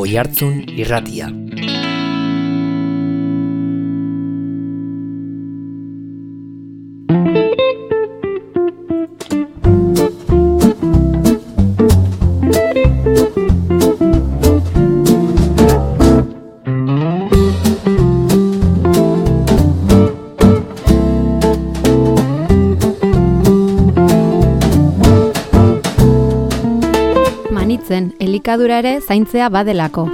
Oihartzun Irratia. Elikadura ere zaintzea badelako.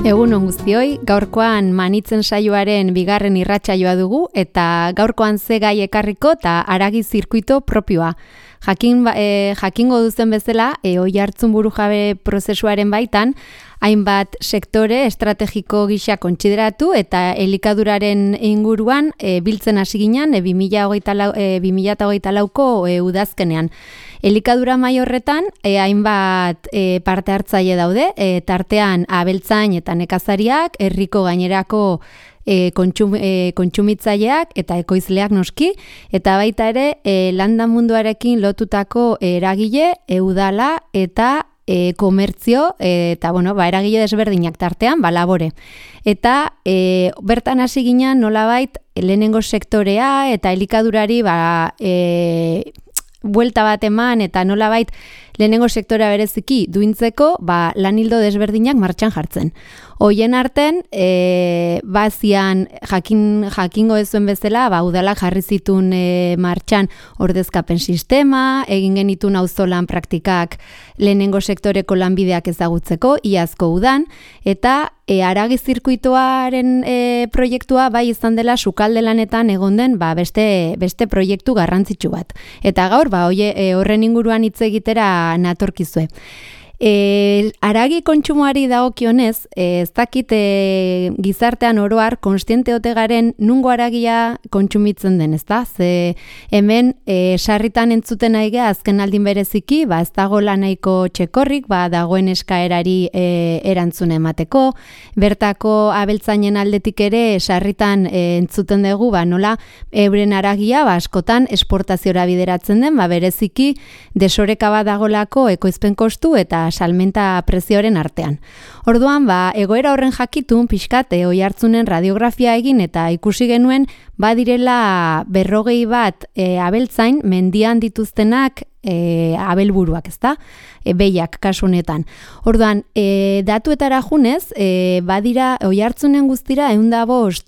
Egun on guztioi, gaurkoan Manitzen saioaren bigarren irratsaioa dugu eta gaurkoan ze gai ekarriko eta haragi zirkuito propioa. Jakingo duzen bezala, Oihartzun burujabe prozesuaren baitan, hainbat sektore estrategiko gisa kontsideratu eta elikaduraren inguruan biltzen hasi ginen 2024ko udazkenean. Elikadura mahai horretan hainbat parte hartzaile daude, tartean abeltzain eta nekazariak, herriko gainerako kontsumitzaileak eta ekoizleak noski, eta baita ere landa munduarekin lotutako eragile, udala eta komertzio, eta eragile desberdinak tartean, labore. Eta bertan hasi ginen nolabait lehenengo sektorea eta elikadurari buelta bat eman eta nolabait lehenengo sektorea bereziki duintzeko lan ildo desberdinak martxan jartzen. Hoien arten, bazian jakingo ezuen bezala, udalak jarri zituen martxan ordezkapen sistema, egin genitun auzolan praktikak lehenengo sektoreko lanbideak ezagutzeko, iazko udan, eta haragi zirkuitoaren proiektua bai izan dela sukalde lanetan egon den beste proiektu garrantzitsu bat. Eta gaur, horren inguruan hitz egitera natorkizue. Haragi kontsumoari dagokionez, ez dakit gizartean oroar konstiente ote garen nungo haragia kontsumitzen den, ezta? Ze hemen sarritan entzuten aigea azken aldin bereziki, ez dago nahiko txekorrik, dagoen eskaerari erantzun emateko, bertako abeltzainen aldetik ere sarritan entzuten dugu, nola euren haragia askotan esportaziora bideratzen den, bereziki desoreka bat dagolako ekoizpen kostu eta salmenta prezioaren artean. Orduan, egoera horren jakitun pixkate Oihartzunen radiografia egin eta ikusi genuen badirela 40 bat abeltzain mendian dituztenak abelburuak, ezta? Behiak kasunetan. Orduan, datuetara junez, badira Oihartzunen guztira 105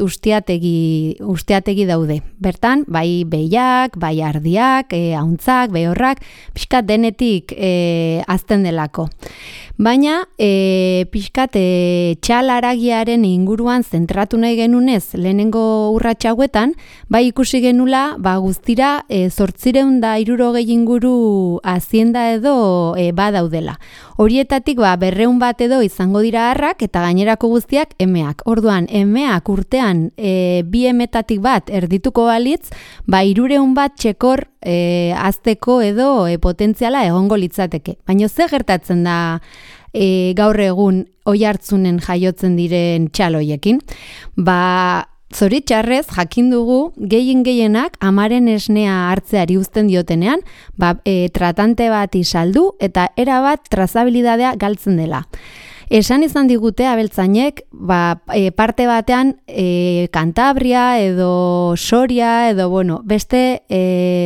ustiategi daude. Bertan, bai behiak, bai ardiak, ahuntzak, behorrak, pixkat denetik azten delako. Baina, pixkat txal haragiaren inguruan zentratu nahi genunez lehenengo urrats hauetan, bai ikusi genula guztira 860 inguru hazienda edo badaudela. Horietatik 200 bat edo izango dira harrak eta gainerako guztiak emeak. Orduan, emeak urtean 2 emetatik bat erdituko balitz, 300 bat txekor azteko edo potentziala egongo litzateke. Baina ze gertatzen da gaur egun Oihartzunen jaiotzen diren txaloiekin? Zoritxarrez, jakin dugu, gehienak amaren esnea hartzeari uzten diotenean, tratante bat saldu eta erabat trazabilidadea galtzen dela. Esan izan digute abeltzainek, parte batean Kantabria edo Soria edo beste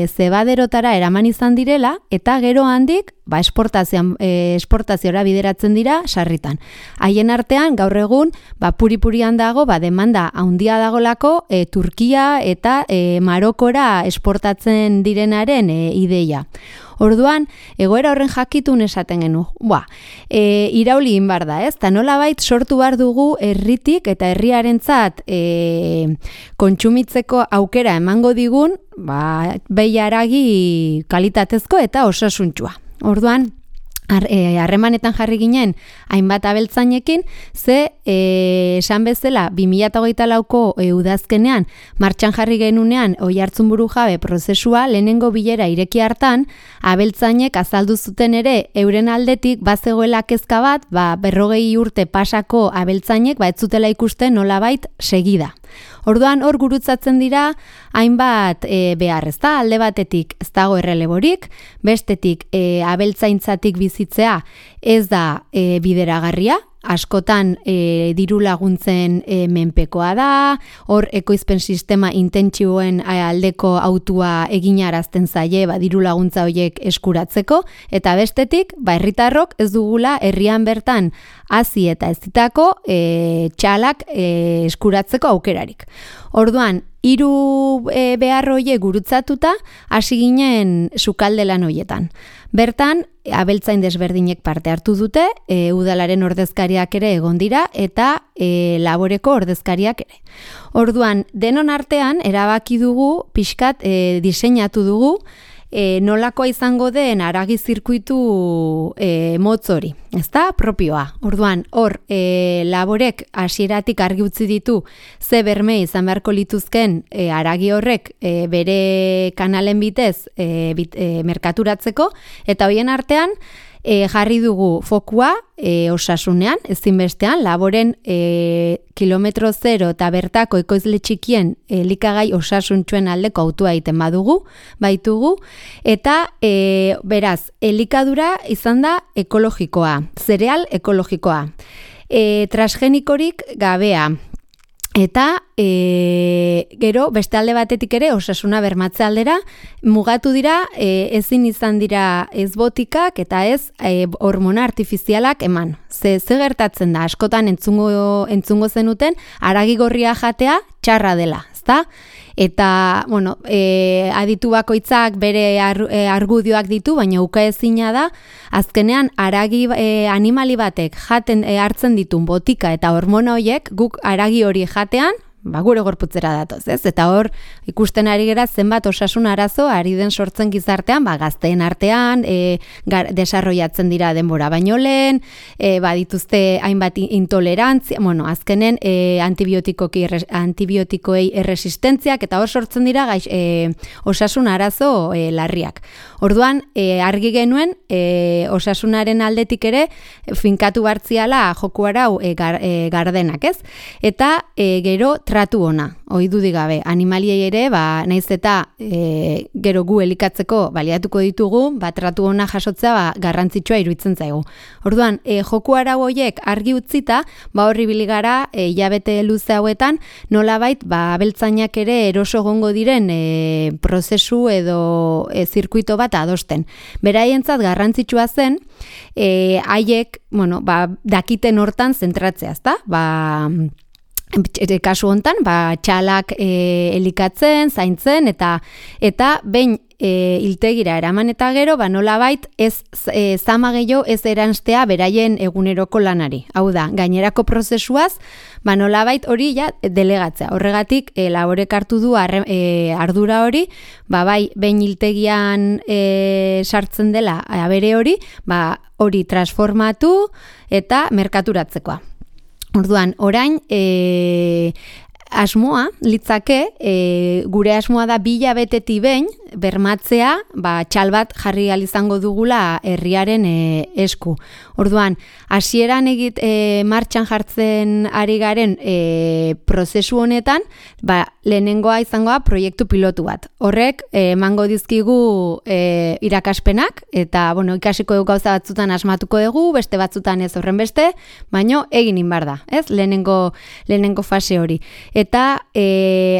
zebaderotara eraman izan direla eta gero handik esportaziora bideratzen dira sarritan. Haien artean gaur egun puri-purian dago demanda handia dagolako Turkia eta Marokora esportatzen direnaren ideia. Orduan, egoera horren jakitun esaten genu. Irauli inbar da, ez? Ta nolabait sortu behar dugu herritik eta herriarentzat kontsumitzeko aukera emango digun, behi haragi kalitatezko eta osasuntsua. Orduan, harremanetan jarri ginen hainbat abeltzainekin, esan bezala 2024ko udazkenean martxan jarri genunean Oihartzun burujabe prozesua lehenengo bilera ireki hartan, abeltzainek azaldu zuten ere euren aldetik bazegoela kezka bat, 40 urte pasako abeltzainek ez zutela ikusten nolabait segida. Orduan hor gurutzatzen dira hainbat behar, ezta? Alde batetik ez dago erreleborik, bestetik abeltzaintzatik bizitzea ez da bideragarria, askotan diru laguntzen menpekoa da, hor ekoizpen sistema intentsiboen aldeko autua eginarazten zaie diru laguntza horiek eskuratzeko, eta bestetik, herritarrok ez dugula herrian bertan hazi eta ez ditako txalak eskuratzeko aukerarik. Orduan, hiru behar horiek gurutzatuta hasi ginen sukalde lan horietan. Bertan, abeltzain desberdinek parte hartu dute, udalaren ordezkariak ere egon dira eta laboreko ordezkariak ere. Orduan, denon artean erabaki dugu, pixkat diseinatu dugu, nolakoa izango den haragi zirkuitu motz hori, ezta? Propioa. Orduan, hor, laborek hasieratik argi utzi ditu ze berme izan beharko lituzken haragi horrek bere kanalen bitez merkaturatzeko, eta hoien artean jarri dugu fokua osasunean, ezinbestean, laboren kilometro zero eta bertako ekoizle txikien elikagai osasuntxuen aldeko autua egiten baitugu, eta beraz, elikadura izan da ekologikoa, zereal ekologikoa, transgenikorik gabea, eta gero beste alde batetik ere osasuna bermatze aldera mugatu dira, ezin izan dira ez botikak eta ez hormona artifizialak eman. Ze gertatzen da, askotan entzungo zenuten haragi gorria jatea txarra dela, ezta? Eta, bueno, aditu bakoitzak bere argudioak ditu, baina ukaezina da, azkenean haragi animali batek hartzen ditun botika eta hormona horiek guk haragi hori jatean, gure gorputzera datoz, ez? Eta hor ikusten ari gera zenbat osasun arazo ari den sortzen gizartean, gazteen artean, desarrollatzen dira denbora baino lehen, badituzte hainbat intolerantzia, bueno, azkenen antibiotikoei erresistentziak, eta hor sortzen dira osasun arazo larriak. Orduan, argi genuen, osasunaren aldetik ere, finkatu bartziala joku arau gardenak, ez? Eta gero tratu ona, ohidudik gabe, animaliei ere, naiz eta gero gu elikatzeko baliatuko ditugu, tratu ona jasotzea garrantzitsua iruditzen zaigu. Orduan, joku arau horiek argi utzita, horri biligara hilabete luze hauetan, nolabait abeltzainak ere eroso egongo diren prozesu edo zirkuito bat adosten. Beraientzat garrantzitsua zen, haiek, dakiten hortan zentratzea, ezta? Kasu hontan, txalak elikatzen, zaintzen, eta behin hiltegira eraman eta gero, nolabait ez zama gehiago ez eranstea beraien eguneroko lanari. Hau da, gainerako prozesuaz, nolabait hori delegatzea. Horregatik, laborek hartu du ardura hori, bai, behin hiltegian sartzen dela abere hori, hori transformatu eta merkaturatzekoa. Orduan, orain, asmoa, litzake, gure asmoa da 2 hilabeteti behin, bermatzea, txal bat jarri izango dugula herriaren esku. Orduan, hasieran martxan jartzen ari garen prozesu honetan, lehenengoa izangoa proiektu pilotu bat. Horrek, emango dizkigu irakaspenak, eta, ikasiko dugu gauza batzutan asmatuko dugu, beste batzutan ez horren beste, baino egin inbar da, ez? Lehenengo fase hori. Eta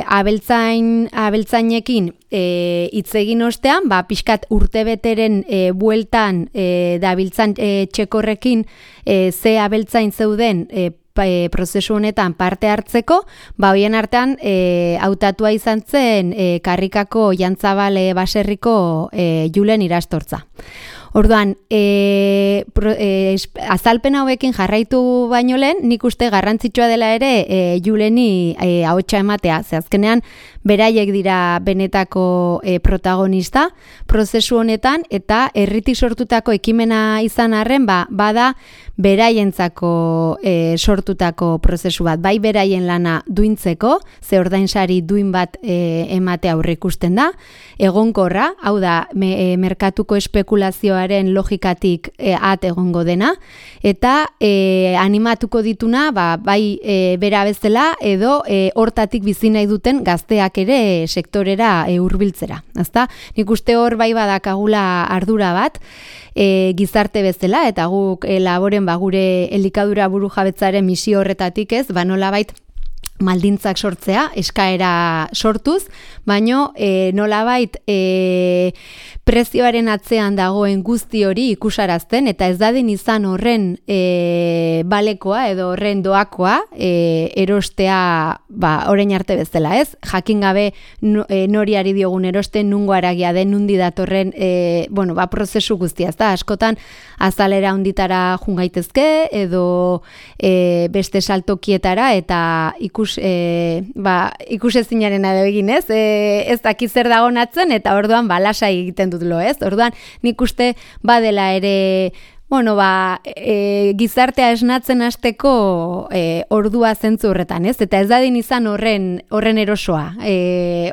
abeltzainekin hitz egin ostean, pixkat urtebeteren bueltan dabiltzan txekorrekin ze abeltzain zeuden prozesu honetan parte hartzeko, hoien artean hautatua izan zen Karrikako Jantzabal baserriko Julen Irastortza. Orduan, azalpen hauekin jarraitu baino lehen, nik uste garrantzitsua dela ere Juleni ahotsa ematea. Ze azkenean, beraiek dira benetako protagonista prozesu honetan, eta herritik sortutako ekimena izan arren, bada beraientzako sortutako prozesu bat, bai beraien lana duintzeko, ze ordainsari duin bat emate aurre ikusten da, egonkorra, hau da, merkatuko espekulazioaren logikatik at egongo dena, eta animatuko dituna, bai bera bezala, edo hortatik bizi nahi duten gazteak ere sektorera hurbiltzera. Ezta? Nik uste hor bai badakagula ardura bat, gizarte bezala, eta guk laboren gure elikadura burujabetzaren misio horretatik ez, nolabait maldintzak sortzea, eskaera sortuz, baino nolabait prezioaren atzean dagoen guzti hori ikusarazten, eta ez dadin izan horren balekoa edo horren doakoa erostea orain arte bezala, ez? Jakin gabe noriari diogun erosten, nungo aragia den, nundi datorren prozesu guztia, ez da? Askotan azalera honditara jungaitezke edo beste saltokietara, eta ikusezinaren edo egin, ez? Ez daki zer dagoen atzen, eta orduan lasai egiten dut lo, ez? Orduan nik uste badela ere gizartea esnatzen hasteko ordua zentzu horretan, ez? Eta ez dadin izan horren erosoa,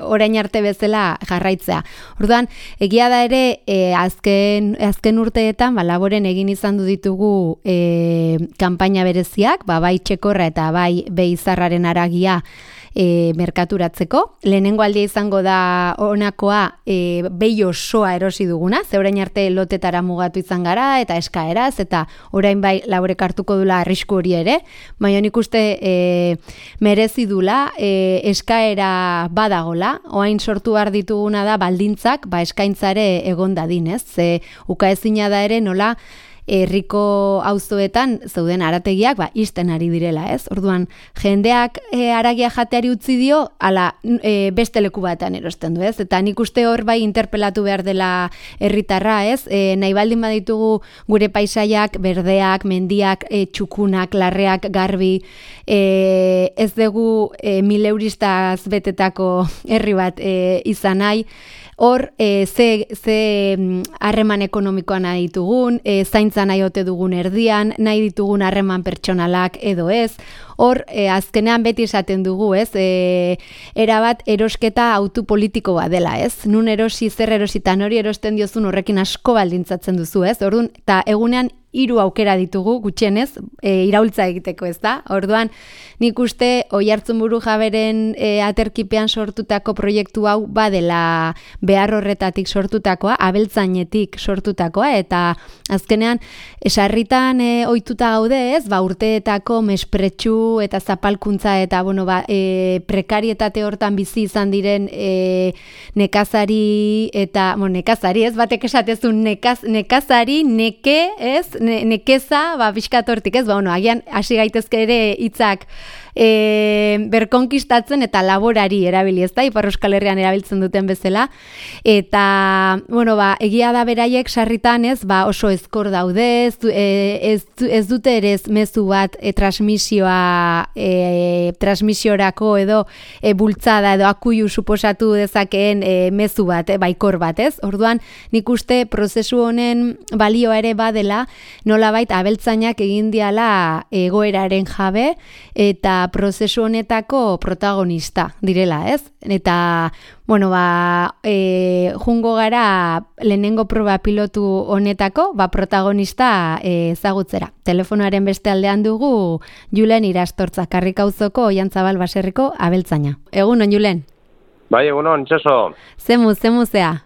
orain arte bezala jarraitzea. Orduan, egia da ere, azken urteetan, laboren egin izan ditugu kanpaina bereziak, bai txekorra eta bai beizarraren aragia merkaturatzeko. Lehenengo aldia izango da honakoa behi osoa erosi duguna, ze orain arte lotetara mugatu izan gara, eta eskaeraz, eta orain bai laborek hartuko dula arrisku hori ere, baina nik uste merezi dula, eskaera badagola, orain sortu behar dituguna da baldintzak, eskaintzare egon dadin, ez? Ze ukaezina da ere nola herriko auzoetan zeuden arategiak isten ari direla, ez? Orduan, jendeak haragia jateari utzi dio, ala beste leku batean erosten du, ez? Eta nik uste hor bai interpelatu behar dela herritarra, ez? Nahi baldin baditugu gure paisaiak, berdeak, mendiak, txukunak, larreak, garbi, ez dugu 1000 euristaz betetako herri bat izan nahi, hor, ze harreman ekonomikoa nahi ditugun, zaintza nahi ote dugun erdian, nahi ditugun harreman pertsonalak edo ez, hor, azkenean beti esaten dugu, ez, erabat erosketa autopolitiko bat dela, ez, nun erosi, zer erositan hori erosten diozun horrekin asko baldintzatzen duzu, ez, orduan, eta egunean 3 aukera ditugu, gutxienez, iraultza egiteko, ez da? Orduan, nik uste Oiartzun Burujaberen aterkipean sortutako proiektu hau badela behar horretatik sortutakoa, abeltzainetik sortutakoa, eta azkenean, sarritan ohituta gaude, ez? Urteetako mespretxu eta zapalkuntza eta, prekarietate hortan bizi izan diren nekazari eta, nekazari, ez? Batek esatezun nekazari, neke, ez? Nekeza, bizkatortik, ez? Agian hasi gaitezke ere hitzak berkonkistatzen eta laborari erabili, ez da? Ipar Euskal Herrian erabiltzen duten bezala. Eta, egia da beraiek sarritan, ez? Oso ezkor daude, ez dute ere mezu bat transmisiorako edo bultzada edo akuilu suposatu dezakeen mezu bat, baikor bat, ez? Orduan, nik uste prozesu honen balioa ere badela, nolabait abeltzainak egin diala egoeraren jabe eta prozesu honetako protagonista direla, ez? Eta, jungo gara lehenengo proba pilotu honetako, protagonista ezagutzera. Telefonoaren beste aldean dugu Julen Irastortza, Karrikauzoko Oiantzabal baserriko abeltzaina. Egunon, Julen? Bai, egunon, Txoso. Zemuzea?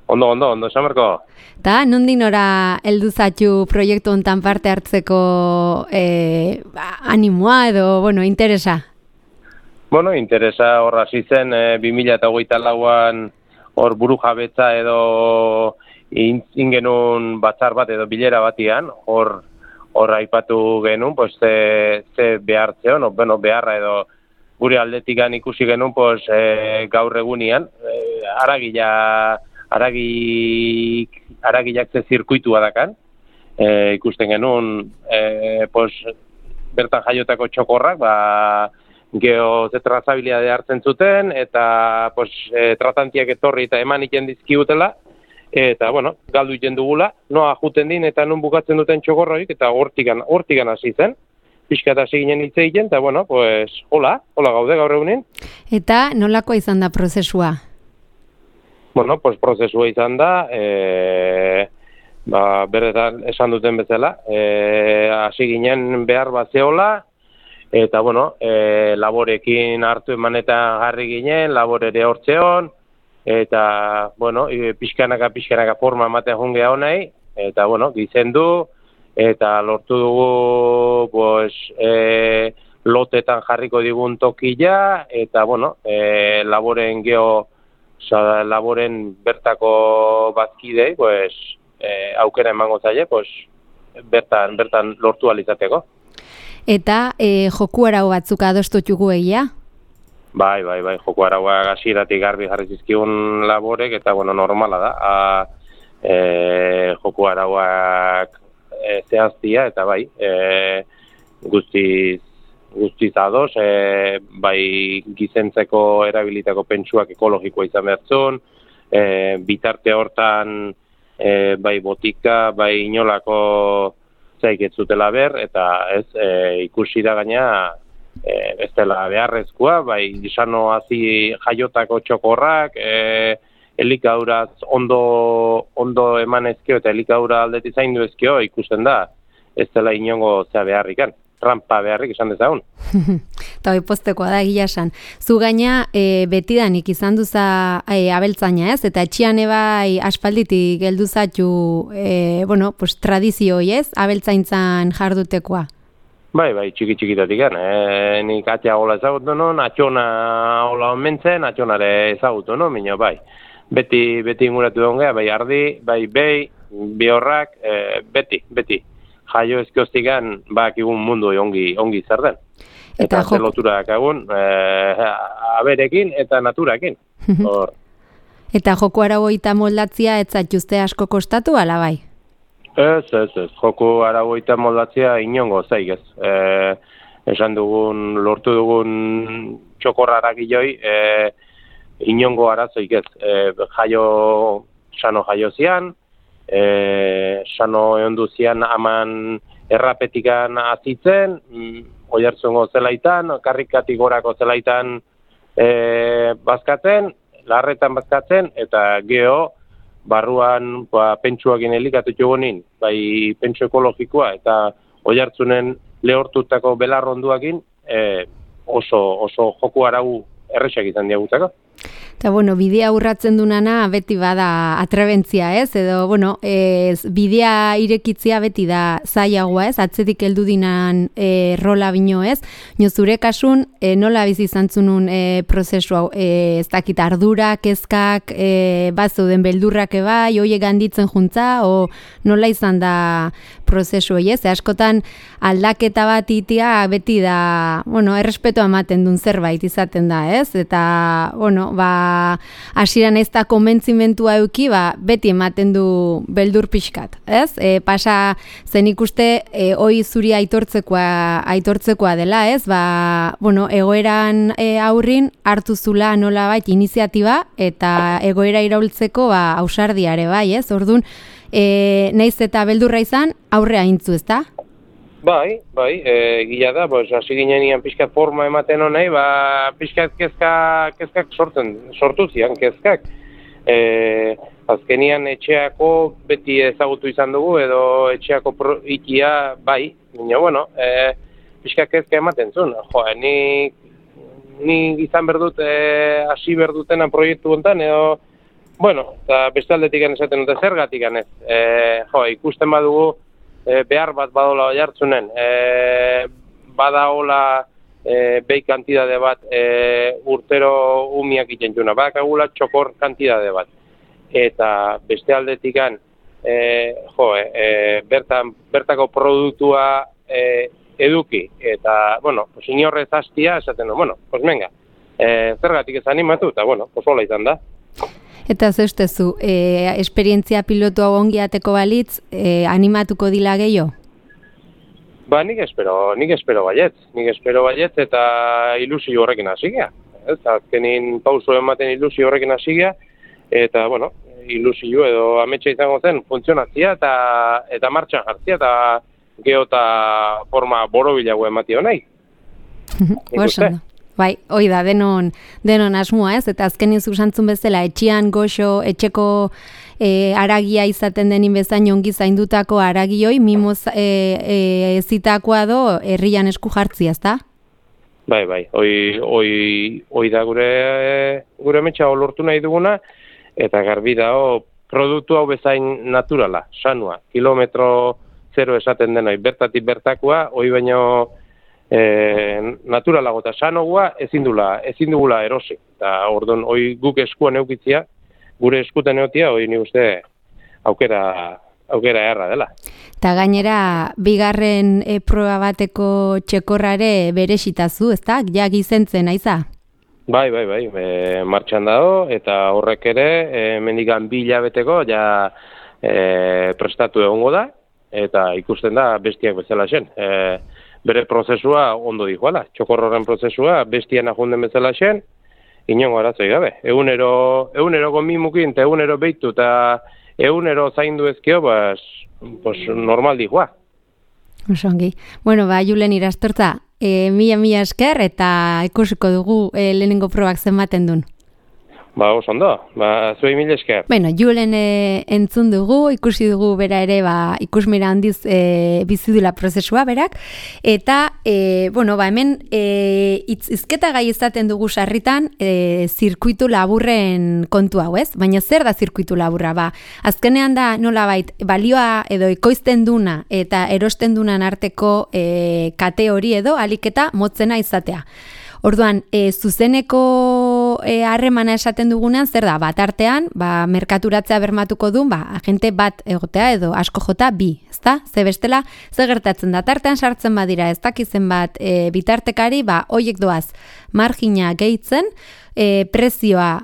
Ondo, Samarko. Eta, nondik nora heldu zaitu proiektu hontan parte hartzeko animoa edo, interesa? Interesa horra zizen 2008an hor burujabetza edo ingenun batzar bat edo bilera batian, hor aipatu genuen, ze behartzeon, beharra edo gure aldetikan ikusi genuen, gaur egunian, aragilak ze zirkuitua dakan, ikusten genuen, bertan jaiotako txokorrak, geho ze trazabilidade hartzen zuten, eta pues, tratantiak etorri eta eman iten dizkigutela, eta, bueno, galdu iten dugula, noa juten din eta nun bukatzen duten txokorroik, eta hortikan hasi zen, pixkat hasi ginen hitz egiten, eta, bueno, pues, hola gaude gaur egunin. Eta nolako izan da prozesua? Bueno, pues, prozesua izan da, berretan esan duten bezala, hasi ginen behar bat zehola, eta, bueno, laborekin hartu emanetan jarri ginen, labore ere hortzeon, eta, bueno, pixkanaka forma ematen jungea honei, eta, bueno, gizendu, eta lortu dugu, pues, lotetan jarriko digun tokila, eta, bueno, laboren laboren bertako bazkidei, pues, aukera emango zaie, pues, bertan lortu alizateko. Eta joku arau batzuk adostutugu egia? Bai, joko arauak hasieratik garbi jarri zizkigun laborek, eta, bueno, normala da. Joko arauak zehaztia, eta bai, guztiz ados, bai gizentzeko erabilitako pentsuak ekologikoa izan behartzun, bitarte hortan bai botika, bai inolako zaik ez zutela ber, eta ez ikusi da gaina ez dela beharrezkoa, bai izano hazi jaiotako txokorrak, elikauraz ondo eman ezkio eta elikadura aldeti zaindu ezkio ikusten da, ez dela inongo zea beharrikan, trampa beharrik esan dezagun. Eta hoi postekoa da egia esan. Zu gaina betidanik izan duza abeltzaina ez, eta etxian ebai aspalditik heldu zatu pues, tradizioi ez, abeltzaintzan jardutekoa. Bai, txiki-txikitatik nik atxea gola ezagutu non, atxona gola onmentzen, atxonare ezagutu non, minio bai. Beti inguratu dongea, bai ardi, bai bihorrak, beti. Jaio ezkioztikan, bakigun mundu ongi zer den. Eta zeloturak egun, aberekin eta naturakin. Eta joko aragoita moldatzia ez zatuzte asko kostatu, ala bai? Ez. Joko aragoita moldatzia inongo zaik ez. Esan dugun, lortu dugun txokorrarak iloi, inongo arazoik ez. Sano jaio zian, sano eondu zian aman errapetikan azitzen, oiartzungo zelaitan, karrikatik gorako zelaitan bazkatzen, larretan bazkatzen, eta geho, barruan pentsuakin elikatu txugonin, bai pentsu ekologikoa, eta oiartzunen lehortutako belarronduakin oso joku arau erresak izan diagutako. Eta, bidea urratzen dunana beti bada atrebentzia, ez? Edo, bidea irekitzia beti da zailagoa, ez? Atzetik heldu dinan rola bino, ez? Zure kasun, nola bizi izan zunun prozesu hau? Ez dakit ardura, kezkak, bazeuden beldurrak bai, hoiek handitzen juntza, o nola izan da prozesu hori, ez? Askotan aldaketa bat itia beti da, errespetua ematen duen zerbait izaten da, ez? Eta, hasieran ez da konbentzimentua euki, beti ematen du beldur pixkat, ez? Pasa zen ikuste, hoi zuri aitortzekoa dela, ez? Egoeran aurrin hartu zula nolabait iniziatiba eta egoera iraultzeko ausardiare, bai, ez? Orduan, naiz eta beldurra izan, aurrea intzu, ez da? Bai, gila da, hasi ginen pixkat forma ematen honei, pixkat kezkak sortu zian kezkak. Azkenian etxeako beti ezagutu izan dugu, edo etxeako ikia, bai, pixkat kezka ematen zuen. Ni izan berdut, hasi berdutena proiektu gontan, edo, eta bestaldetik esaten dute zergatik ez. Ikusten badugu, behar bat badola oiartzunen, badaola behi kantidade bat urtero umiak itxentxuna, badakagula txokor kantidade bat. Eta beste aldetikan, bertako produktua eduki, eta, inorrez hastia, esaten du, venga, zergatik ez animatu, eta, hola izan da. Eta zeustezu, esperientzia pilotu hau ongi ateko balitz, animatuko dila gehiago? Ba, nik espero baiet eta ilusio horrekin hasi gea. Azkenin pauso ematen ilusio horrekin hasi gea, eta, bueno, ilusio edo ametsa izango zen funtzionatzia eta martxan jartzia eta geota forma borobilago ematio nahi. Bai, hoi da, denon asmoa, ez? Eta azkenin zuzentzun bezala, etxean goxo, etxeko aragia izaten denin bezain ongi zaindutako aragioi, mimoz ezitakoa do herrian esku jartzia, ezta? Bai, hoi da gure metxa lortu nahi duguna, eta garbi dago produktu hau bezain naturala, sanua, kilometro zero esaten denoi, bertatik bertakoa, hoi baino naturalago eta sanoa ezin dugula erosi. Eta orduan, hoi guk eskuan eukitzia, gure eskutan eukitzia, hoi ni uste aukera erra dela. Eta gainera, bigarren proba bateko txekorrare beresitazu, ezta? Ja gizentzen, aiza? Bai, martxan dago, eta horrek ere, mendikan 2 hilabeteko, ja prestatu egongo da, eta ikusten da bestiak bezala zen. Bere prozesua ondo dijoala, txokorroren prozesua bestian ajunden bezala zen, inongo arazoi gabe. Egunero mimukin, eta egunero behitu, eta egunero zaindu ezkio, pues normal dijoa. Osongi. Bueno, Julen Irastortza, mila esker eta ikusiko dugu lehenengo probak zenbaten duen. Oso ondo, zuei mila esker. Bueno, Julen entzun dugu, ikusi dugu bera ere, ikusmira handiz bizidula prozesua berak, eta, hemen izketa gai izaten dugu sarritan zirkuitu laburren kontu hau, ez? Baina zer da zirkuitu laburra? Azkenean da nolabait balioa edo ekoizten duna eta erosten dunan arteko kate hori edo aliketa motzena izatea. Orduan, zuzeneko harremana esaten dugunean, zer da, bat artean, merkaturatzea bermatuko du, agente bat egotea edo asko jota bi, ezta? Ze bestela, ze gertatzen da, tartean sartzen badira, ez dakizen bat bitartekari, hoiek doaz, margina gehitzen, prezioa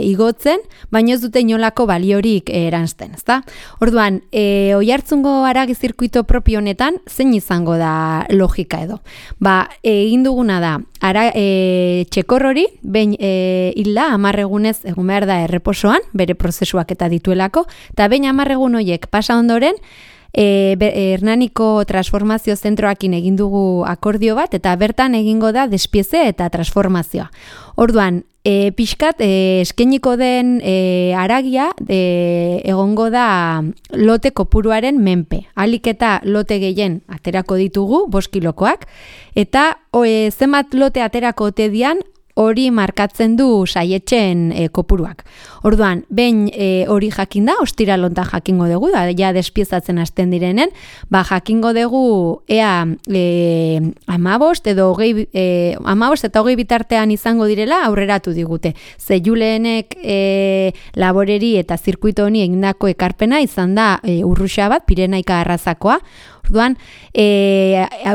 igotzen, baina ez dute inolako baliorik eranzten, ezta? Orduan, Oiartzungo haragi zirkuito propio honetan, zein izango da logika edo? Egin duguna da, txekor hori, behin hilda 10 egunez egun behar da erreposoan, bere prozesuak eta dituelako, eta behin 10 egun horiek pasa ondoren, Hernaniko transformazio zentroakin egin dugu akordio bat, eta bertan egingo da despieze eta transformazioa. Orduan, pixkat eskeniko den haragia egongo da lote kopuruaren menpe. Alik eta lote gehien aterako ditugu, 5 kilokoak, eta zenbat lote aterako ote dian, hori markatzen du saietxen kopuruak. Orduan, behin hori jakin da, ostiral hontan jakingo dugu, ja despiezatzen hasten direnen, jakingo dugu ea 15 edo 15 eta 20 bitartean izango direla aurreratu digute. Ze Julenek laboreri eta zirkuito honi egindako ekarpena izan da urruxa bat, Pirenaika arrazakoa. Orduan,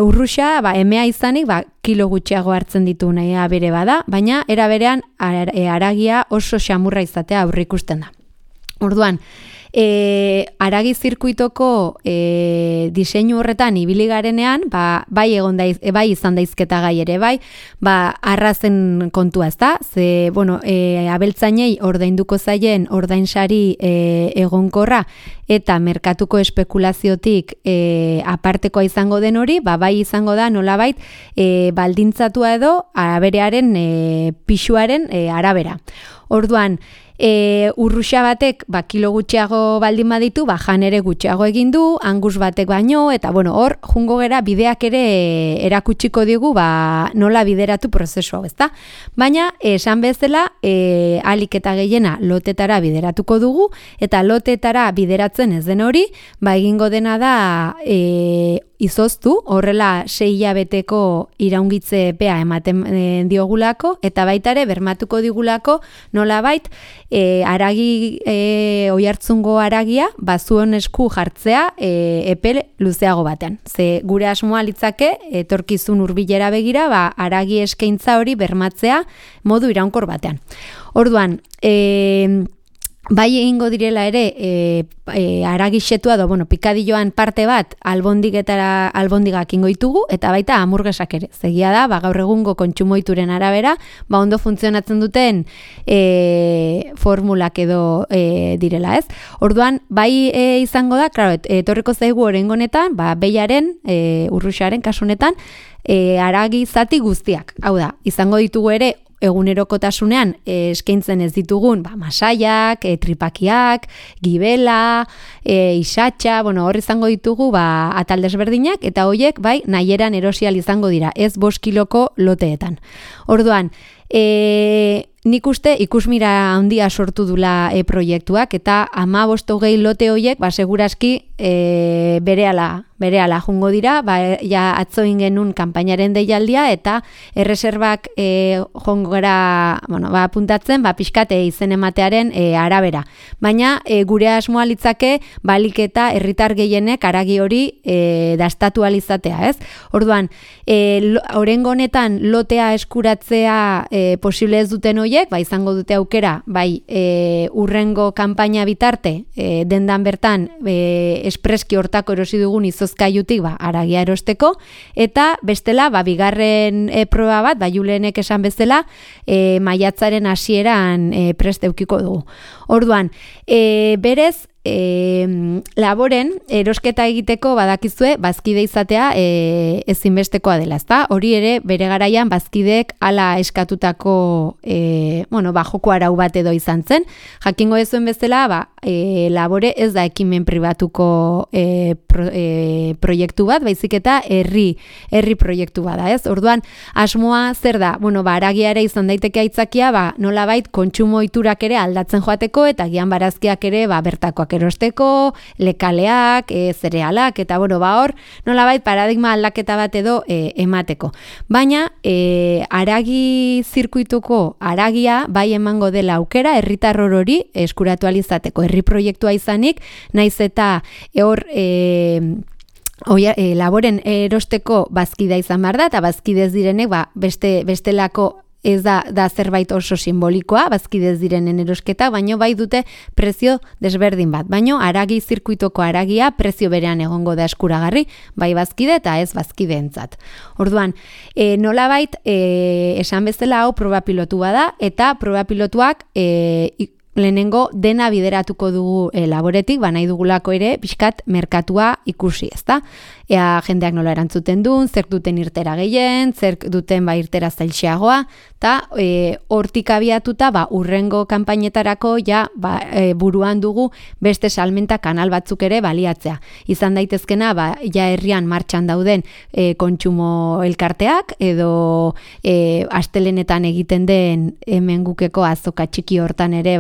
urruxa, emea izanik, kilo gutxiago hartzen ditu nahia bere bada, baina era berean haragia oso xamurra izatea aurreikusten da. Orduan, haragi zirkuitoko diseinu horretan ibili garenean, bai izan daizketa gai ere, arrazen kontua, ezta? Ze, abeltzainei ordainduko zaien ordainsari egonkorra eta merkatuko espekulaziotik apartekoa izango den hori, bai izango da nolabait baldintzatua edo aberearen pisuaren arabera. Orduan, urruxa batek kilo gutxiago baldin baditu, jan ere gutxiago egin du, angus batek baino, eta hor jungo gera bideak ere erakutsiko digu nola bideratu prozesu hau, ezta? Baina, esan bezala, alik eta gehiena lotetara bideratuko dugu, eta lotetara bideratzen ez den hori, egingo dena da izoztu, horrela 6 hilabeteko iraungitze epea ematen diogulako, eta baitare bermatuko digulako nolabait haragi Oiartzungo haragia zuen esku jartzea epe luzeago batean. Ze gure asmoa litzake etorkizun hurbilera begira haragi eskaintza hori bermatzea modu iraunkor batean. Orduan, bai egingo direla ere aragixetua pikadilloan parte bat albondigak ingo ditugu eta baita hamburgesak ere. Zegia da, gaur egungo kontsumoituren arabera, ondo funtzionatzen duten formulak edo direla, ez? Orduan, bai izango da, claro, etorriko zaigu oraingo honetan, behiaren, urruxaren kasunetan, aragi zati guztiak. Hau da, izango ditugu ere egunerokotasunean eskaintzen ez ditugun masaiak, tripakiak, gibela, isatxa, hor izango ditugu atal desberdinak eta hoiek nahieran erosial izango dira, ez 5 kiloko loteetan. Orduan, nik uste ikusmira handia sortu dula proiektuak eta 15-20 lote hoiek segurazki berehala jungo dira, ja atzo genuen kanpainaren deialdia eta erreserbak jongo gara, apuntatzen, pixkat izen ematearen arabera. Baina gure asmoa litzake balik eta herritar gehienek aragi hori dastatu alizatea, ez? Orduan, oraingo honetan lotea eskuratzea posible ez duten hoiek, izango dute aukera, urrengo kanpaina bitarte, dendan bertan espreski hortako erosi dugun izozkailutik aragia erosteko, eta bestela, bigarren proba bat, Julenek esan bezala, maiatzaren hasieran prest eukiko dugu. Orduan, berez, laboren erosketa egiteko badakizue bazkide izatea ezinbestekoa dela, ezta? Hori ere bere garaian bazkideek hala eskatutako joko arau bat edo izan zen. Jakingo dezuen bezala, labore ez da ekimen pribatuko proiektu bat, baizik eta herri proiektu bat da, ez? Orduan, asmoa zer da? Aragia ere izan daiteke aitzakia, nolabait kontsumo ohiturak ere aldatzen joateko eta gian barazkiak ere bertakoak erosteko, lekaleak, zerealak, eta hor, nolabait paradigma aldaketa bat edo emateko. Baina, aragi zirkuituko aragia emango dela aukera, herritar hori eskuratu alizateko, herri proiektua izanik, naiz eta hor laboren erosteko bazkidea izan behar da, eta bazkidez direnek bestelako ez da zerbait oso simbolikoa, bazkidez direnen erosketa, baino dute prezio desberdin bat. Baino aragi zirkuitoko aragia prezio berean egongo da eskuragarri, bazkide eta ez bazkideentzat. Orduan, nolabait esan bezala hau proba pilotu bada, eta proba pilotuak lehenengo dena bideratuko dugu laboretik, nahi dugulako ere pixkat merkatua ikusi, ezta? Ea jendeak nola erantzuten duen, zer duten irtera gehien, zer duten irtera zailxeagoa, eta hortik abiatuta urrengo kanpainetarako buruan dugu beste salmenta kanal batzuk ere baliatzea. Izan daitezkena, herrian martxan dauden kontsumo elkarteak, edo astelenetan egiten den hemen gukeko azoka txiki hortan ere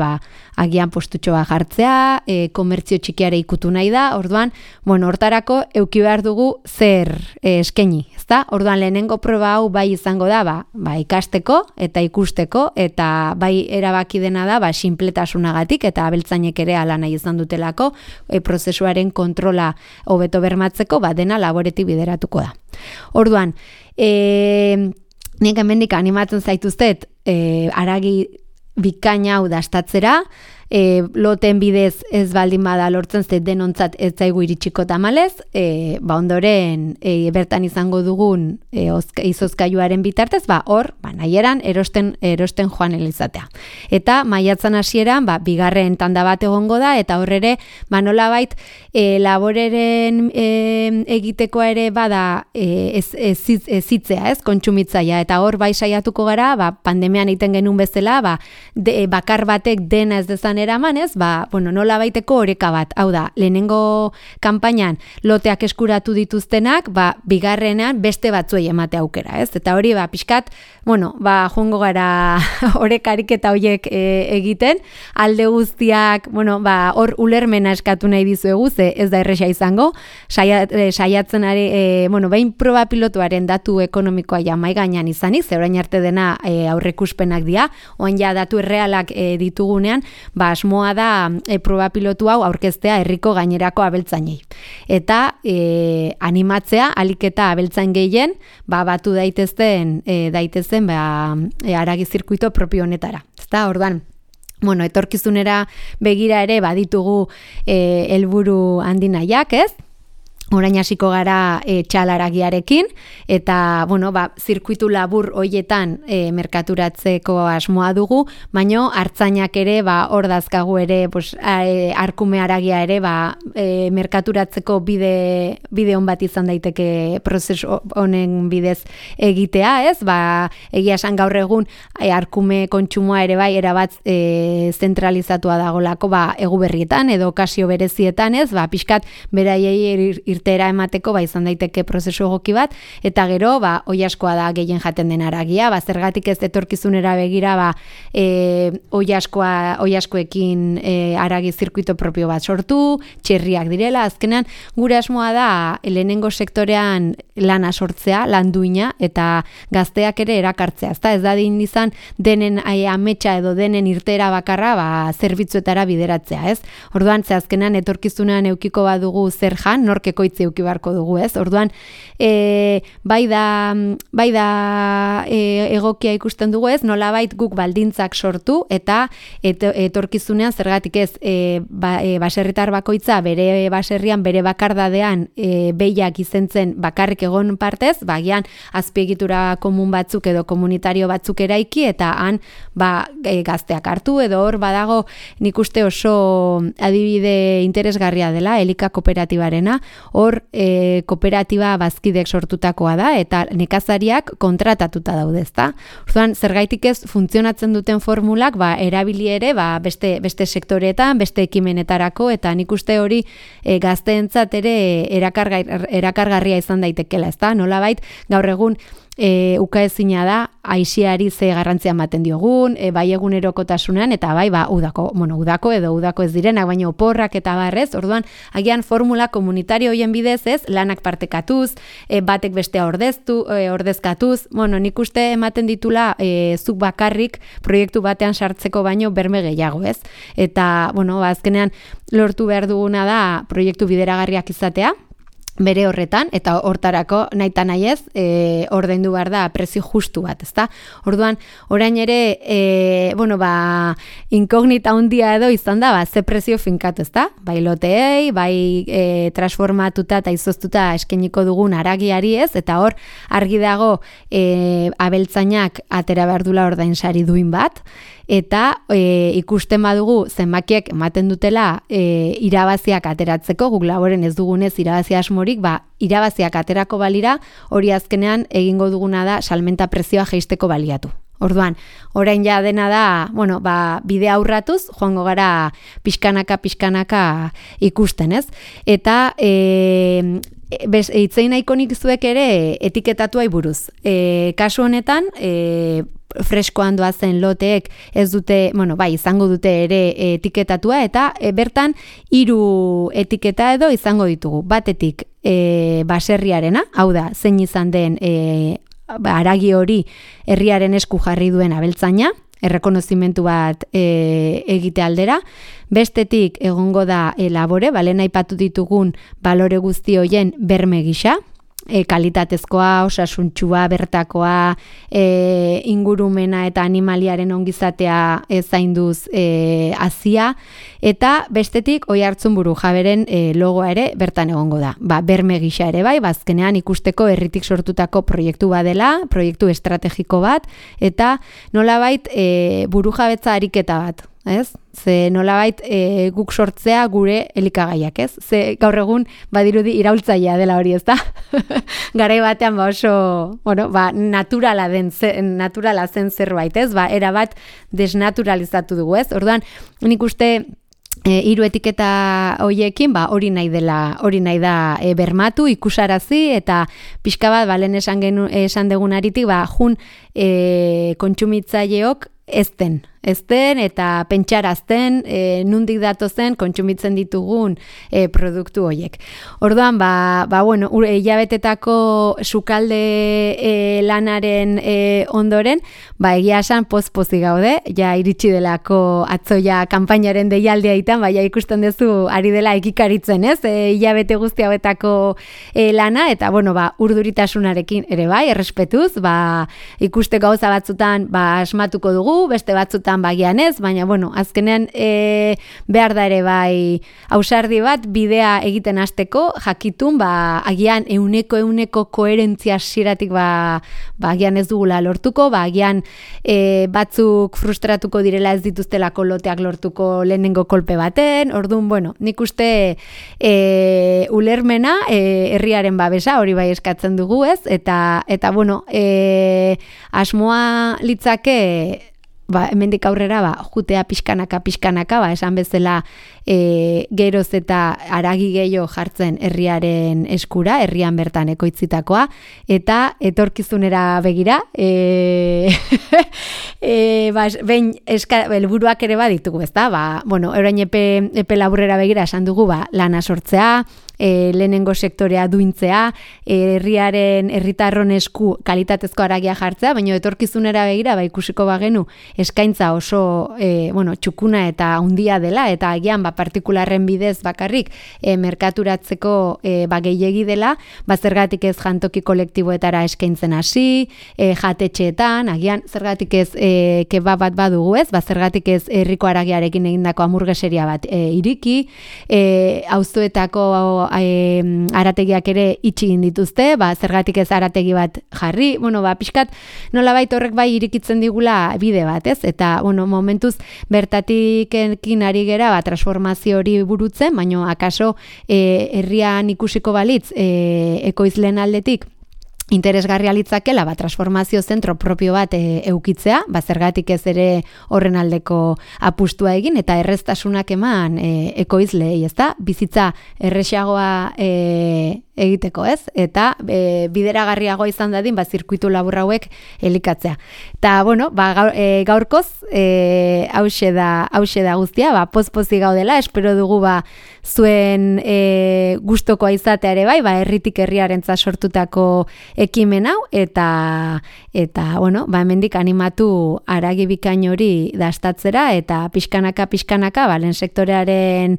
agian postutxoa jartzea, komertzio txikiare ikutu nahi da, orduan, hortarako euki behar dugu zer eskaini, ezta? Orduan lehenengo proba hau izango da, ikasteko eta ikusteko, eta erabaki dena da, sinpletasunagatik, eta abeltzainek ere ala nahi izan dutelako, prozesuaren kontrola hobeto bermatzeko, dena laboretik bideratuko da. Orduan, nik hemendik animatzen zaituztet, aragi bikaina hau dastatzera, loten bidez ez baldin bada lortzen denontzat ez zaigu iritsiko tamalez, ondoren bertan izango dugun izozkailuaren bitartez, hor, nahieran erosten joan elizatea. Eta maiatzan hasieran, bigarren tanda bat egongo da, eta horrere, nolabait, laboreren egitekoa ere bada ezitzea, ez, kontsumitzaia, eta hor saiatuko gara, pandemian egiten genuen bezala, bakar batek dena ez dezan eraman, ez, nola baiteko oreka bat. Hau da, lehenengo kanpainan loteak eskuratu dituztenak, bigarrenean beste batzuei emate aukera, ez? Eta hori, pixkat, joango gara orekarik eta horiek egiten, alde guztiak, hor ulermena eskatu nahi dizuegu, ze ez da erresa izango, saiatzen ari, behin proba pilotuaren datu ekonomikoa mai gainean izanik, ze orain arte dena aurreikuspenak dira, oan ja datu errealak ditugunean, asmoa da proba pilotu hau aurkeztea herriko gainerako abeltzainei. Eta animatzea, alik eta abeltzain gehien, batu daitezen aragi zirkuito propio honetara. Ezta, orduan, etorkizunera begira ere baditugu helburu handinaiak, ez? Orain hasiko gara txalaragiarekin, eta, zirkuitu labur hoietan merkaturatzeko asmoa dugu, baino hartzainak ere, hor dazkagu ere, arkume haragia ere, merkaturatzeko bide on bat izan daiteke prozesu honen bidez egitea, ez? Egia esan gaur egun, arkume kontsumoa ere bai, erabat zentralizatua dagolako, egu berrietan, edo okazio berezietan, ez? Pixkat, beraiei irtera emateko izan daiteke prozesu egoki bat, eta gero, oilaskoa da gehien jaten den haragia, zergatik ez etorkizunera begira, oilaskoekin haragi zirkuito propio bat sortu, txerriak direla, azkenean gure asmoa da lehenengo sektorean lana sortzea, lan duina, eta gazteak ere erakartzea, ez da din izan denen ametsa edo denen irtera bakarra, zerbitzuetara bideratzea, ez? Orduan, azkenean etorkizunean eukiko badugu zer jan, nork ekoitzi euki beharko dugu, ez? Orduan, bai da egokia ikusten dugu, ez? Nolabait guk baldintzak sortu eta etorkizunean zergatik ez baserritar bakoitza bere baserrian bere bakardadean behiak izentzen bakarrik egon partez, gian azpiegitura komun batzuk edo komunitario batzuk eraiki eta han gazteak hartu edo hor badago nik uste oso adibide interesgarria dela Elika kooperatibarena, hor kooperatiba bazkidek sortutakoa da eta nekazariak kontratatuta daude, ezta? Orduan, zergaitik ez funtzionatzen duten formulak erabili ere beste sektoreetan, beste ekimenetarako eta nik uste hori gazteentzat ere erakargarria izan daitekela, ezta? Nolabait gaur egun ukaezina da aisiari ze garrantzia ematen diogun, bai egunerokotasunean eta udako ez direnak, baina oporrak eta barrez, orduan agian formula komunitario hoien bidez ez, lanak partekatuz, batek bestea ordezkatuz, nik uste ematen ditula zuk bakarrik proiektu batean sartzeko baino berme gehiago, ez? Eta, azkenean lortu behar duguna da proiektu bideragarriak izatea, bere horretan, eta hortarako naita nahiez, ordaindu behar da prezio justu bat, ezta? Orduan, orain ere, inkognita handia edo izan da, ze prezio finkatu, ezta? Bai loteei, bai transformatuta eta izoztuta eskeniko dugun haragiari ez, eta hor, argi dago abeltzainak atera behar dula ordainsari duin bat, eta ikusten badugu zenbakiek ematen dutela irabaziak ateratzeko, guk laboren ez dugunez irabazi asmorik, irabaziak aterako balira, hori azkenean egingo duguna da salmenta prezioa jeisteko baliatu. Orduan, orain ja dena da, bidea aurratuz, joango gara pixkanaka ikusten, ez? Eta hitzein nahiko nik zuek ere etiketatuai buruz. Kasu honetan, freskoan doazen loteek ez dute, izango dute ere etiketatua eta bertan 3 etiketa edo izango ditugu. Batetik baserriarena, hau da, zein izan den haragi hori herriaren esku jarri duen abeltzaina, errekonozimentu bat egite aldera. Bestetik egongo da labore, lehen aipatu ditugun balore guzti hoien berme gisa, kalitatezkoa, osasuntxua, bertakoa, ingurumena eta animaliaren ongizatea zainduz hazia, eta bestetik Oiartzun Burujaberen logoa ere bertan egongo da. Berme gisa ere bai, azkenean ikusteko herritik sortutako proiektu badela, proiektu estrategiko bat, eta nolabait burujabetza ariketa bat. Ez? Ze nolabait guk sortzea gure elikagaiak, ez? Ze gaur egun badirudi iraultzailea dela hori, ez da? Garai batean oso, naturala zen zerbait, ez? Erabat desnaturalizatu dugu, ez? Orduan, nik uste 3 etiketa hoiekin, hori nahi da bermatu, ikusarazi, eta pixka bat, lehen esan degunaritik, jun kontsumitzaileok ezten eta pentsarazten nundik datozen kontsumitzen ditugun produktu horiek. Orduan, hilabetetako sukalde lanaren ondoren, egia esan poz-pozi gaude, ja iritsi delako atzoia kanpainaren deialdea itan, ikusten duzu ari dela ekikaritzen, ez? Hilabete guzti hauetako lana, eta urduritasunarekin ere errespetuz, ikuste gauza batzutan asmatuko dugu, dugu, beste batzutan bagian ez, baina bueno, azkenean behar da ere bai ausardi bat bidea egiten hasteko jakitun, agian euneko koherentzia hasieratik agian ez dugula lortuko, agian batzuk frustratuko direla ez dituztelako loteak lortuko lehenengo kolpe baten, orduan, bueno, nik uste ulermena, herriaren babesa, hori bai eskatzen dugu ez, eta bueno, asmoa litzake, hemendik aurrera, jutea pixkanaka, esan bezala geroz eta haragi gehiago jartzen herriaren eskura, herrian bertan ekoitzitakoa, eta etorkizunera begira, behin helburuak ere baditugu, ez da? Bueno, orain epe laburrera begira esan dugu, lana sortzea, lehenengo sektorea duintzea, herritarron esku kalitatezko haragia jartzea, baina etorkizunera begira, ikusiko bagenu eskaintza oso txukuna eta handia dela, eta agian partikularren bidez bakarrik merkaturatzeko gehiegi dela, zergatik ez jantoki kolektiboetara eskaintzen hasi, jatetxeetan, agian zergatik ez kebab bat badugu ez, zergatik ez herriko haragiarekin egindako hamburgueseria bat iriki, auzoetako arategiak ere itxi egin dituzte, zergatik ez arategi bat jarri, pixkat nolabait horrek bai irikitzen digula bide bat, ez? Eta, momentuz bertatik ekin ari gera, transformazio hori burutzen, baina akaso herrian ikusiko balitz ekoizleen aldetik interesgarria litzakela, transformazio zentro propio bat eukitzea, zergatik ez ere horren aldeko apustua egin, eta erreztasunak eman ekoizleei, ezta? Bizitza erresagoa egiteko, ez? Eta bideragarriagoa izan dadin, zirkuitu labur hauek elikatzea. Eta, bueno, gaurkoz, hause da guztia, pozpozik gaudela, espero dugu zuen gustokoa izatea ere bai, herritik herriarentzat sortutako ekimen hau, eta bueno, hemendik animatu haragi bikain hori dastatzera, eta pixkanaka, lehen sektorearen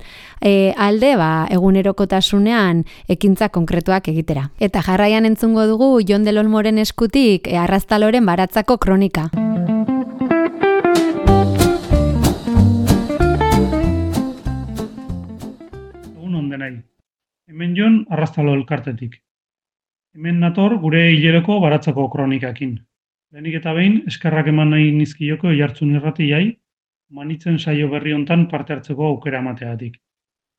alde, egunerokotasunean ekintza konkretuak egitera. Eta jarraian entzungo dugu Jon del Olmoren eskutik Arraztaloren baratzako kronika. Egun ondenai. Hemen Jon Arraztalo elkartetik. Hemen nator gure hileroko baratzako kronikakin. Lehenik eta behin, eskerrak eman nahi nizkioko Oiartzun irratiai, manitzen saio berri hontan parte hartzeko aukera emateagatik.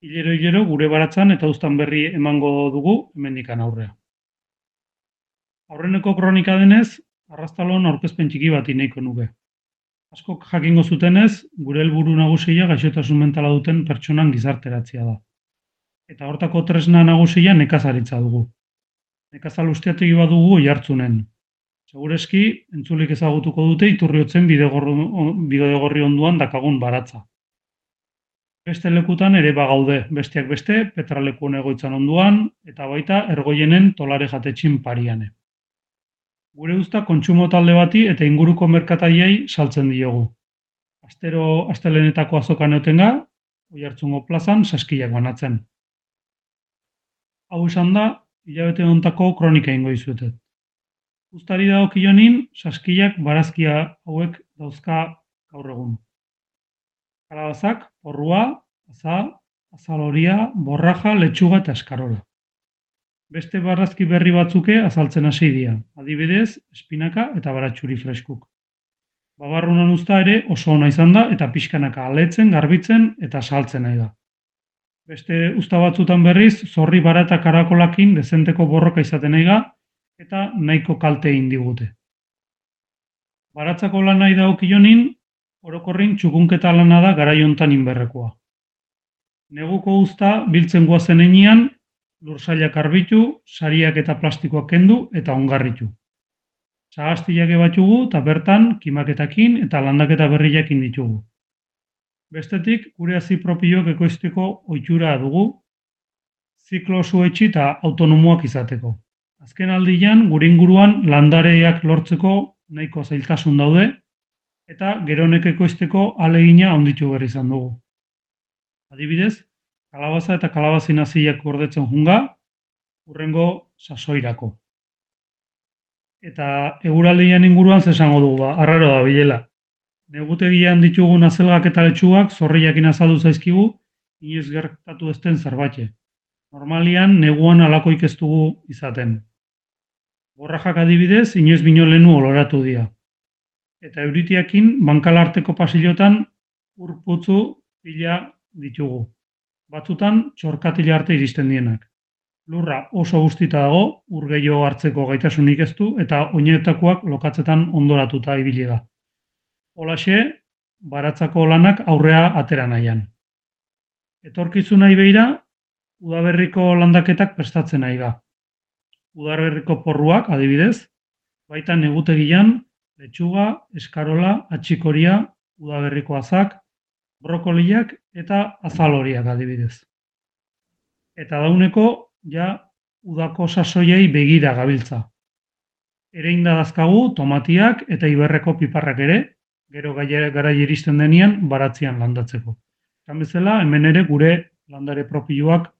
Hilero gure baratzan eta uztan berri emango dugu hemendikan aurrea. Aurreneko kronika denez, Arraztalon aurkezpen txiki bat nahiko nuke. Askok jakingo zutenez, gure helburu nagusia gaixotasun mentala duten pertsonan gizarteratzea da. Eta hortako tresna nagusia nekazaritza dugu. Nekazal ustiategi bat dugu Oiartzunen. Segureski, entzulik ezagutuko dute Iturriotzen bidegorri onduan dakagun baratza. Beste lekutan ere bagaude, besteak beste, Petralekuen egoitzan onduan, eta baita Ergoienen Tolare jatetxin pariane. Gure usta kontsumo talde bati eta inguruko merkataiei saltzen diogu. Astelenetako azokan eotenga, Oiartzungo plazan saskilak banatzen. Hau esan da, hilabete hontako kronika ingo izuetet. Uztari dagokionin, saskilak barazkia hauek dauzka gaur egun. Kalabazak, porrua, azaloria, borraja, letxuga eta eskarola. Beste barazki berri batzuke azaltzen hasi dira, adibidez, espinaka eta baratxuri freskuk. Babarrunan uzta ere oso ona izan da eta pixkanaka aletzen, garbitzen eta saltzen nahi da. Beste uzta batzutan berriz, zorri barata karakolakin dezenteko borroka izaten nahi da eta nahiko kalte egin digute. Baratzako lan nahi dagokionin, orokorrin txukunketa lana da garaiontan inberrekoa. Neguko uzta biltzen guazen enean, lursailak arbitu, sariak eta plastikoak kendu eta ongarritu. Sagaztiak ebatxugu eta bertan kimaketakin eta landaketa berriakin ditugu. Bestetik, gure hazi propioak ekoizteko ohitura dugu, ziklo osuetxi eta autonomoak izateko. Azken aldian, gure inguruan landareak lortzeko nahiko zailtasun daude, eta geronek ekoizteko ahalegina handitu behar izan dugu. Adibidez, kalabaza eta kalabazin haziak gordetzen junga, hurrengo sasoirako. Eta eguraldian inguruan zesango dugu, arraro da bilela. Negutegian ditugun azelgak eta letxugak zorriakin azaldu zaizkigu, inoiz gertatu ez den zerbait. Normalian, neguan alakoik ez dugu izaten. Borrajak adibidez, inoiz bino lehenu oloratu dira. Eta euritiakin, bankalarteko pasilotan urputzu pila ditugu. Batzutan, txorkatila arte iristen dienak. Lurra oso guztita dago, ur gehiago hartzeko gaitasunik ez du, eta oinetakoak lokatzetan ondoratuta ibili da. Holaxe, baratzako lanak aurrea atera nahian. Etorkizunari begira, udaberriko landaketak prestatzen nahi da. Udaberriko porruak, adibidez, baita negutegian, letxuga, eskarola, atxikoria, udaberriko azak, brokoliak eta azaloriak adibidez. Eta dauneko, ja, udako sasoiei begira gabiltza. Ereinda dazkagu tomatiak eta iberreko piparrak ere, gero gara iristen denean baratzean landatzeko. Esan bezala, hemen ere gure landare propioak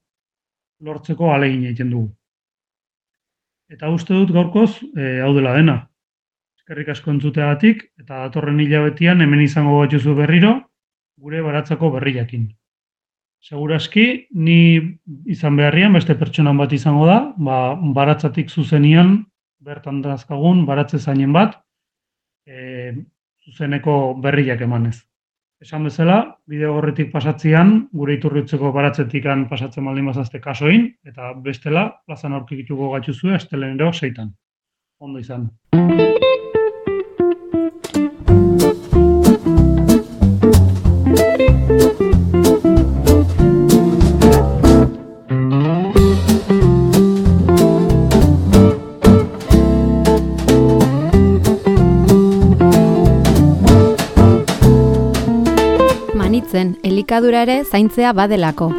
lortzeko ahalegin egiten dugu. Eta uste dut gaurkoz, hau dela dena. Eskerrik asko entzuteagatik, eta datorren hilabetean hemen izango batzuzu berriro, gure baratzako berriakin. Segurazki, ni izan beharrian, beste pertsonan bat izango da, baratzatik zuzenian, bertan dazkagun, baratze zainen bat, zuzeneko berriak emanez. Esan bezala, bideo horretik pasatzean, gure Iturriutzeko baratzetikan pasatzen baldin bazazte kasoin, eta bestela, plazan aurkituko gatuzue, astelenero 6. Ondo izan. Elikadura ere zaintzea badelako.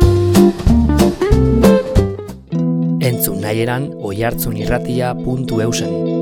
Entzun nahieran oihartzunirratia.eusen.